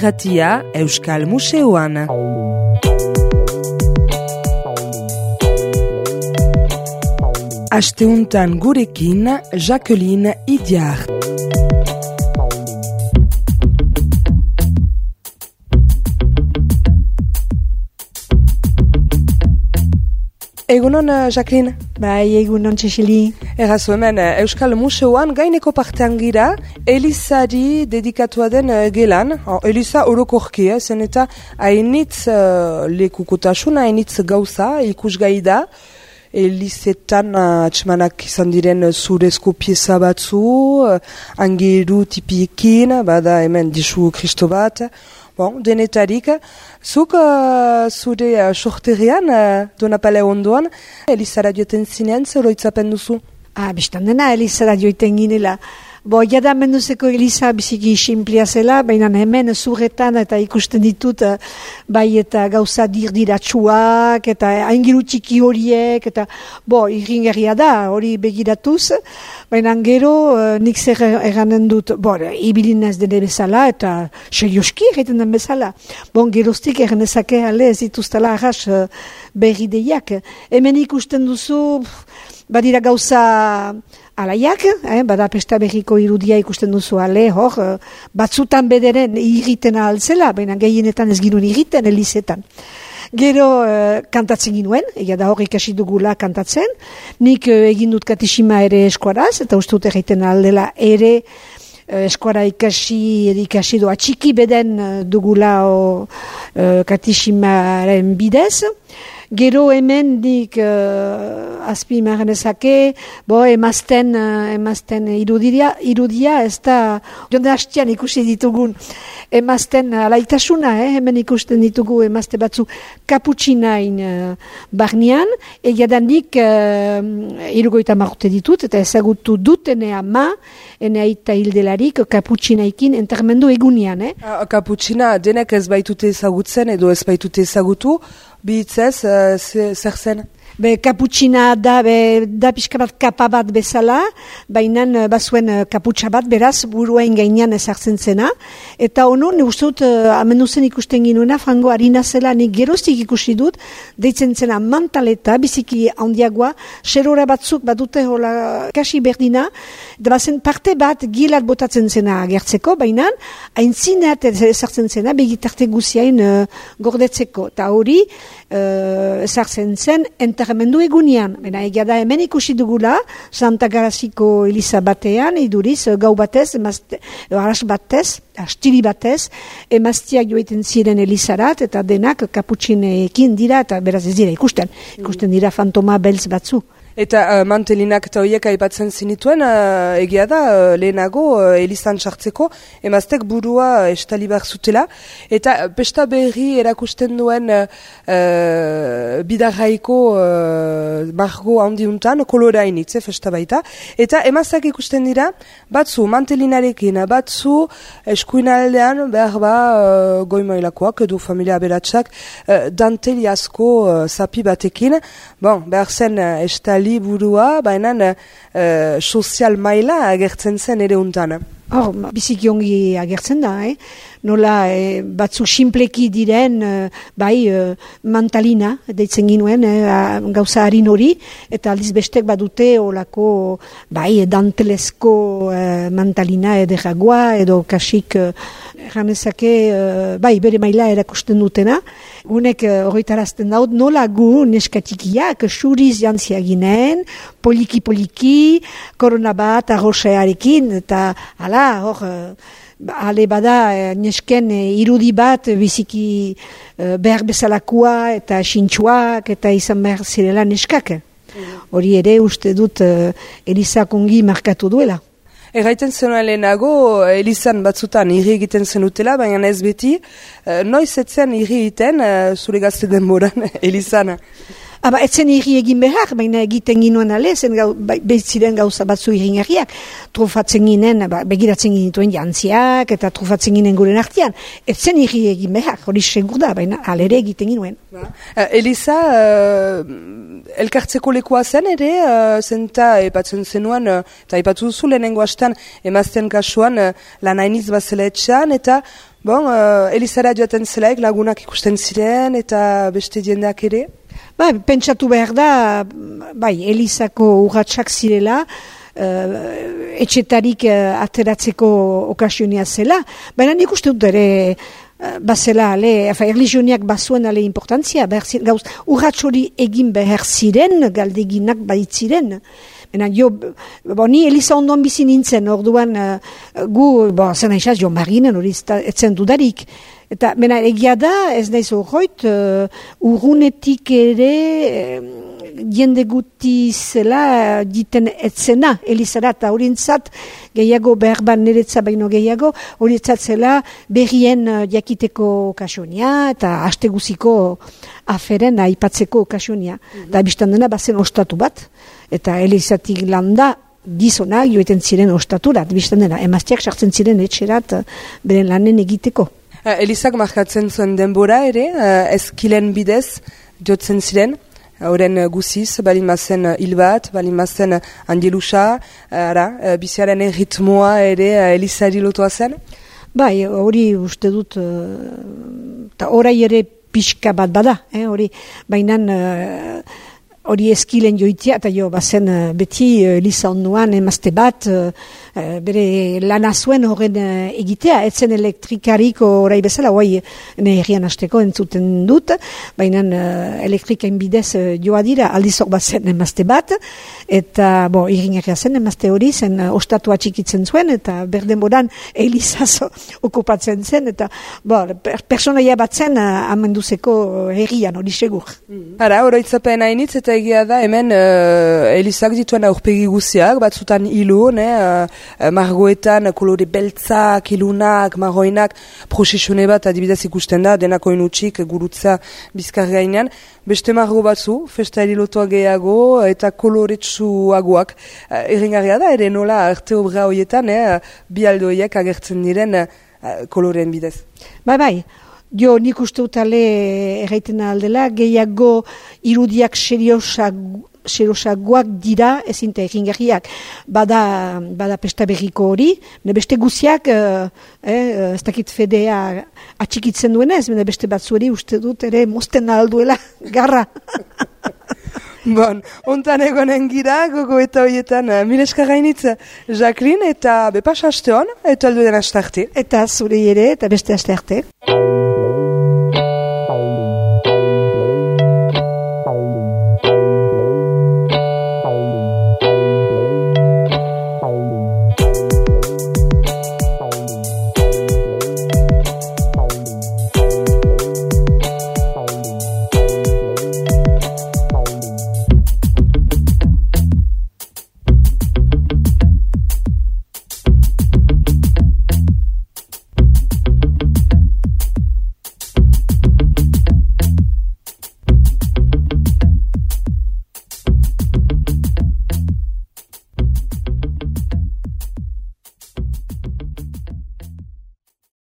irratia Euskal Museoan. Asteuntan gurekin Jacqueline Idiart. Egunon, Jacqueline? Bai, egunon, Txexili. Errazu hemen, Euskal Museoan gaineko partean gira, Elizari dedikatua den gelan. Eliza orokorki, zen eta hainitz lekukotasun, hainitz gauza, ikusgai da. Elizetan atxemanak izan diren zurezko pieza batzu, angeru tipiekin, bada hemen disu Kristo bat. Bon, denetarik, zuk zure sorterian, Donapale ondoan, Elizara joeten zinean, zer oroitzapen duzu? Bistan dena, Elizara joeten ginela. Jada menduzeko Eliza biziki simplia zela, baina hemen zurretan eta ikusten ditut bai eta gauza dirdiratsuak eta aingiru txiki horiek eta irringerria da, hori begiratuz, baina gero nik zer eranen dut, ibilinez dene bezala eta serioski egiten den bezala. Geroztik eranezake ale ez dituztala arras berrideiak. Hemen ikusten duzu, badira gauza alaiak, bada Pesta Berriko irudia ikusten duzu ale, batzutan bederen irriten altzela, baina gehienetan ez ginuen irriten Elizetan. Gero kantatzen ginuen, egia da hor ikasi dugula kantatzen, nik egin dut katisima ere eskuaraz, eta uste dut egiten aldela ere eskuara ikasi doa txiki beden dugula katisimaren bidez. Gero hemen dik azpi marenezake, emazten irudia, ez da, jonde hastian ikusi ditugun emazten alaitasuna, hemen ikusten ditugu emazte batzu kaputxinain barnean, egia da nik 70 urte ditut, eta ezagutu dut ene ama, ene aita hildelarik kaputxinaikin entermendu egunean. Kaputxina denek ez baitute ezagutzen edo ez baitute ezagutu, bihitzez, zer zen? Kaputxina da pixka bat kapa bat bezala, baina bazuen kaputxa bat, beraz, buruain gainean ezartzen zena. Eta ono, ne uste dut, amenduzen ikusten ginuena, frango harina zela, nik geroztik ikusi dut, deitzen zena mantaleta, biziki handiagoa, xerora batzuk badute hola kasi berdina, da bazen parte bat gilat botatzen zena agertzeko, baina haintzineat ezartzen zena, begitarte guziain gordetzeko. Eta hori, ezartzen zen, enterremendu egunean. Egia da hemen ikusi dugula, Santa Garaziko Eliza batean, iduriz, gau batez, arras batez, astiri batez, emaztiak joiten ziren Elizarat, eta denak kaputxinekin dira, eta beraz ez dira ikusten dira fantoma beltz batzu. Eta mantelinak eta horiek aipatzen zinituen, egia da, lehenago Elizan sartzeko, emaztek burua estali behar zutela, eta Pesta Berri erakusten duen bidarraiko margo handiuntan, kolorainitze festa baita, eta emaztak ikusten dira, batzu mantelinarekin, batzu eskuinaldean, behar goimailakoak edo familia aberatsak, danteli asko zapi batekin, behar zen estali burua, baina sozial maila agertzen zen ere untan. Biziki ongi agertzen da, nola batzu simpleki diren, mantalina, deitzen ginuen, gauza harin hori, eta aldiz bestek badute olako, dantelesko mantalina ederagoa, edo kasik, janezake, bere maila erakusten dutena. Gunek horretarazten daut, nola gu neskatikiak suriz jantzia ginen, poliki, korona bat, arroxearekin, eta ale bada nesken irudi bat biziki behar bezalakoa eta sintxuak eta izan behar zirela neskak. Hori ere uste dut Elizak ongi markatu duela. Erraiten zenua lehenago, Elizan batzutan irri egiten zenutela, baina ez beti, noiz etzen irri egiten zure gazte denboran Elizana? Etzen irri egin behar, baina egiten ginuen ale, ziren gauza batzu irringarriak. Trufatzen ginen, begiratzen ginituen jantziak, eta trufatzen ginen guren artean. Etzen irri egin behar, hori segur da, baina alere egiten ginuen. Eliza, elkartzeko lekoa zen ere, zenta epatzen zenuen, eta epatu duzu lehenengo hastan emazten kasuan lan hainiz bazela etxean, eta Bon, Elizara joaten zelaik lagunak ikusten ziren eta beste jendeak ere? Pentsatu behar da, Elizako urratsak zirela, etxetarik ateratzeko okasionia zela, baina nik uste dut ere, bazela, erligioniak bazuen ale importantzia, urrats hori egin behar ziren, galdeginak baitziren. Ni Eliza ondoan bizi nintzen, orduan gu, zen aizaz, jo marinen hori etzen dudarik. Eta egia da, ez naiz horroit, urrunetik ere jende guti zela diten etzena Elizara, eta horintzat gehiago berban niretza baino gehiago, horintzat zela berrien jakiteko okasionia eta asteguziko aferen aipatzeko okasionia. Eta biztan dena bazen ostatu bat, eta Elizatik landa gizonak joeten ziren ostaturat, biztan dena, emazteak sartzen ziren etxerat beren lanen egiteko. Elizak markatzen zuen denbora ere, ezkilen bidez jotzen ziren, horren guziz, balin mazen hil bat, balin mazen angelusa, biziaren ritmoa ere Elizari lotua zen? Hori uste dut, eta orai ere pixka bat bada, bainan hori ezkilen joitia, eta bazen beti Eliza onduan emazte bat, bere lana zuen horren egitea, etzen elektrikariko orai bezala, oai herrian hasteko entzuten dut, baina elektrikain bidez joa dira, aldizok bat zen emazte bat, eta irriñarria zen emazte hori, zen ostatua txikitzen zuen, eta berdenboran Elizazo okupatzen zen, eta personaia bat zen amenduzeko herrian hori segur. Oroitzapen hainitz, eta egia da, hemen Elizak dituen aurpegi guziak, batzutan hilu, margoetan kolore beltzak, ilunak, marroinak, prosesione bat adibidez ikusten da, denako inutsik gurutza bizkar gainean, beste margo batzu, festa erilotua gehiago eta koloretsuagoak. Erringarria da, ere nola arte obra horietan, bi aldoiek agertzen diren koloreen bidez. Jo, nik uste utale erraiten aldela, gehiago irudiak seriosagoak dira, ezinte erringarriak, bada pesta berriko hori, beste guziak, ez dakit fedea atxikitzen duenez, beste batzueri uste dut ere mozten alduela garra. Ontan egonen gira, gogo eta horietan, mileska gainitza, Jacqueline, eta bepas haste hon, eta alduen haste arte. Eta zure ere, eta beste haste arte.